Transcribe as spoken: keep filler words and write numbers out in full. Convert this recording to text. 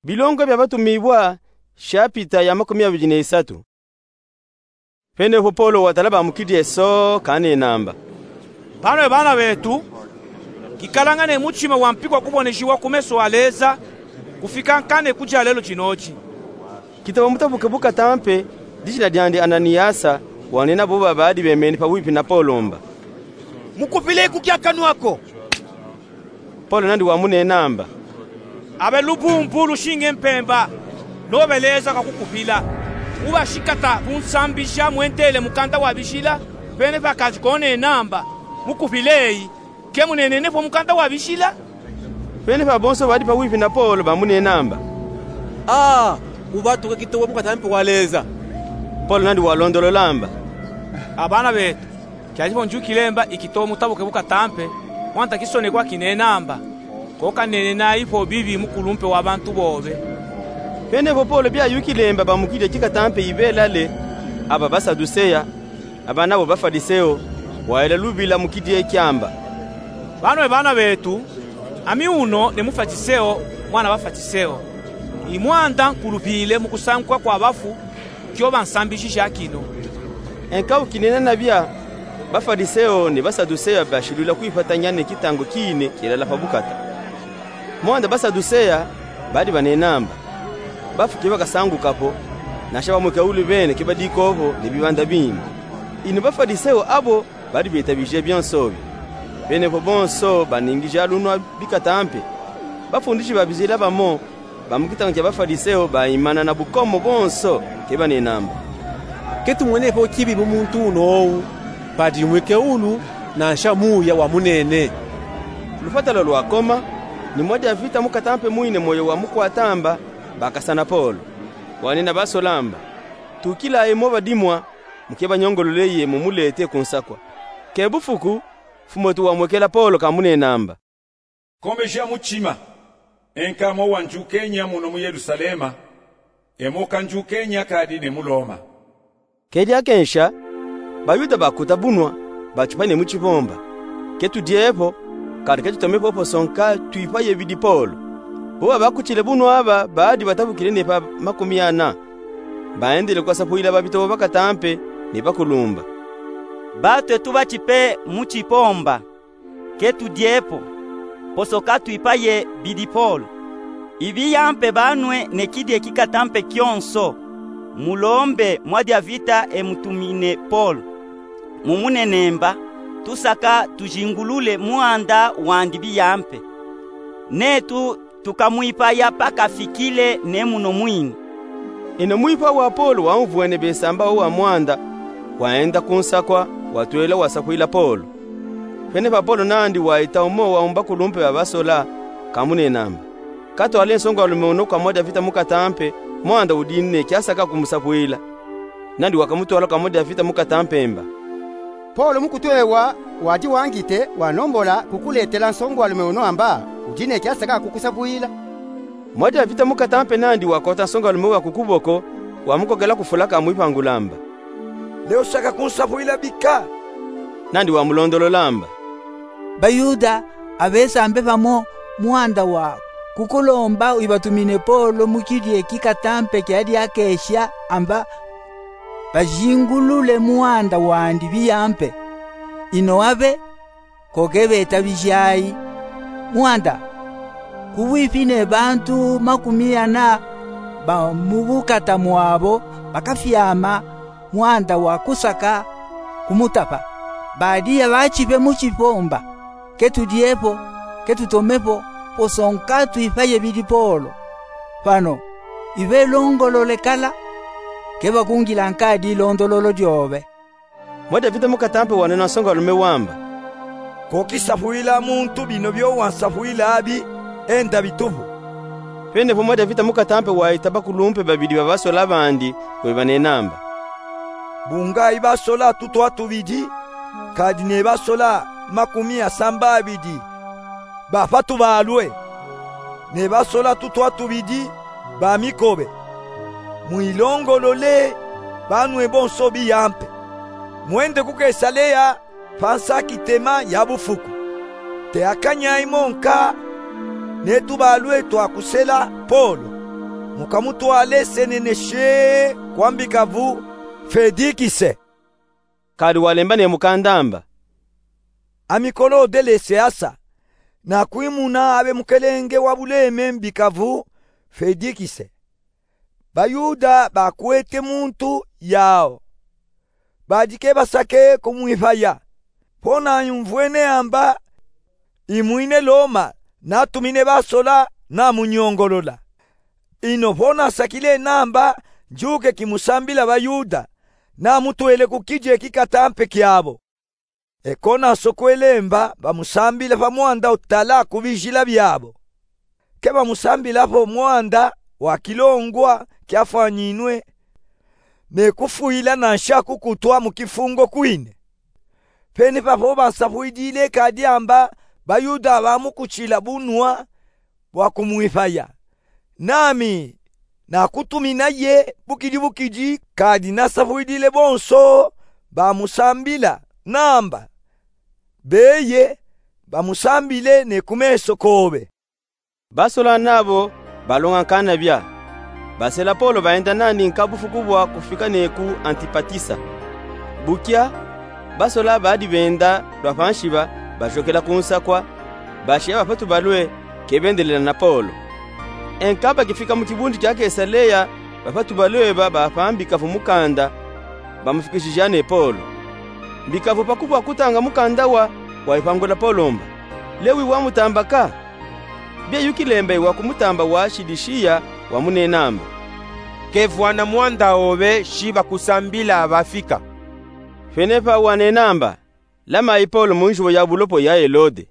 Bilongo bia Batumibwa, shapita ya makumi abidi na isatu. Pene po Polo watala ba mu kidi eso, kanenamba: Bano e bana betu, kikalanga ne mutima wa mpikwa kuboneshiwa ku meso a Leza, kufika nkane ku dyalelo dinoki. Kitawa mutabuke bu katampe, dijina dyandi Ananiyasa, wanena bo babadi bemeni pawipi na Polo mba: Mukupile ku kya kanwa ko. Polo nandi wamunenamba: Abe lubumbu lushinge mpemba, nobe Leza kakukupila. Uba shikata kunsambisha mwentele mukanda wa bishila, pene pa kadi konenamba: Mukupile eyi, ke munenene po mukanda wa bishila? Pene pa bonso badi pawipi na Polo bamunenamba: Aa, ubatuke kitowa bu katampe wa Leza. Polo nandi walondololamba: A bana betu, kyadi po ndyukilemba ikitowa mutabuke bu katampe, mwanta kisonekwa kinenamba: Ko kanenenayi po bibi mukulumpe wa bantu bobe. Pene po Polo byayukilemba ba mu kidi eki katampe ibelale, aba Basaduseya, aba nabo Bafadiseo, wayela lubila mu kidi eki amba: Bano e bana betu, ami uno ne Mufadiseo, mwana Bafadiseo. I mwanda nkulupile mu kusanguka kwa bafu, kyoba nsambishija kino. E nkawu kinena nabya, Bafadiseo ne Basaduseya bashilwila kwipatanya ne kitango kine kyelala pa bukata. Mwanda Basaduseya badi banenamba: Bafu ke bakasanguka po, nansha bamwekewulu bene ke badika po ne bibanda bindi. Ino Bafadiseo abo badi betabije byonso bi. Pene po bonso baningija lunwa bi katampe. Bafundishi ba bizila bamo ba mu kitango kya Bafadiseo baimana na bukomo bonso, ke banenamba: Ke tumwene po kibi mu muntu uno owu, padi mwekewulu nansha muya wa munene. Lufwata lwalwakoma, ni mwadyavita mu katampe mwine mwoyo wa mukwatamba, bakasa na Polo. Wanena basolamba: Tukilayi mo badimwa, muke banyongolole ye mumulete ku nsakwa. Ke bufuku, mfumu'etu wamwekela Polo kamunenamba: Komeja mutima, e nka mo wandyukenya muno mu Yelusalema, e mo kandyukenya kadi ne mu Loma. Ke dyakensha, Bayuda bakuta bunwa, batipa ne mu kibomba: Ke tudye po, kadi ke tutome po poso nka twipaye bidi Polo. Bo babakutile bunwa aba badi batabukile ne pa makumi ana. Baendele kwasapwila babitobo ba katampe ne bakulumba: Batwe tubatipe mu kibomba, ke tudye po, poso ka twipaye bidi Polo. Ibiyampe banwe ne kidi eki katampe kyonso, mulombe mwadyavita e mutumine Polo. Mumunenemba, tusaka tujingulule mwanda wandi biyampe. Netu tukamwipaya pa kafikile ne muno mwini. Ino mwipa wa Polo waumvwene besamba owa mwanda, waenda ku nsakwa, watwela wasapwila Polo. Pene pa Polo nandi waita umo wa mu bakulumpe ba basola, kamunenamba: Katwale nsongalume uno kwa mwadyavita mu katampe, mwanda udini ne kyasaka kumusapwila. Nandi wakamutwala kwa mwadyavita mu katampe mba: Polo mukutwe wa wadi wangite wanombola kukuletela nsongalume uno amba udini ne kyasaka kukusapwila. Mwadyavita mu katampe nandi wakota nsongalume wa ku kuboko, wamukokela ku fula kamwipangula amba: Leo saka kunsapwila bika? Nandi wamulondolola amba: Bayuda abesambe pamo mwanda wa kukulomba wibatumine Polo mu kidi eki katampe kya dyakesha amba bajingulule mwanda wandi biyampe. Ino abe ko ke betabijayi. Mwanda, kubwipi ne bantu makumi ana ba mu bukata mwabo bakafyama mwanda wa kusaka kumutapa. Badiya batipe mu kibomba, ke tudye po, ke tutome po, poso nka twipaye bidi Polo. Pano, ibe longolole kala, ke bakungila nka dilondololo dyobe. Mwadyavita mu katampe wanena nsongalume wamba: Ko kisapwila muntu bino byo wansapwila abi, enda bitupu. Pene po mwadyavita mu katampe waita bakulumpe babidi ba basola bandi, webanenamba: Bungayi basola tutwa tubidi, kadi ne basola makumi asamba abidi ba pa tubalwe, ne basola tutwa tubidi ba mikobe. Mwilongolole banwe bonso biyampe. Mwende ku Kesaleya pa nsakitema ya bufuku. Teyakanyayi mo nka ne tubalwe twa kusela Polo. Mu kamutwale senene shee kwa mbikavu Fedikise. Kadi walemba ne mukanda amba: Ami Kolode Lisiasa, nakwimuna abe mukelenge wa buleme mbikavu Fedikise. BaYuda bakwete muntu yau, badi ke basake kumwipaya. Vo nayumvwene amba imwine Loma, natumine basola namunyongolola. Ino vo nasakile namba njuke kimusambila baYuda, namutwele ku kije kikatampe kiabo. Eko nasokwele mba bamusambila pa mwanda utala ku bijila biabo. Ke bamusambila vo mwanda wa kilongwa kiafwanyinwe, ne kufwila nansha kukutwa mu kifungo kwine. Pene pavo bansafwidile kadi amba baYuda bamukutshila bunwa bwa kumwipaya. Nami nakutumina ye bukidi bukidi, kadi nasafwidile bonso bamusambila namba beye bamusambile ne ku meso kobe. Basola nabo balonga nkana bia, basela Polo baenda nandi nkabufu kubwa kufika ne ku Antipatisa. Bukya, basola badi benda lwa pa nshiba bashokela ku nsakwa, bashiya bapatu balwe ke bendelela na Polo. Enkaka bakifika mu kibundu kia Kesalea, bapatu balwe ba bapa mbikavu mukanda bamufikishija ne Polo. Mbikavu pa kubwa kutanga mukanda wa, wayipangula Polo mba: Lewi wamutamba ka? Bie yukile mba yi wakumutamba wa shidi shiya, wamunena mba: Kevwana mwanda obe shi bakusambila bafika. Penepa wanena mba: Lamayi Polo mu nzuwa ya bulopo ya Elode.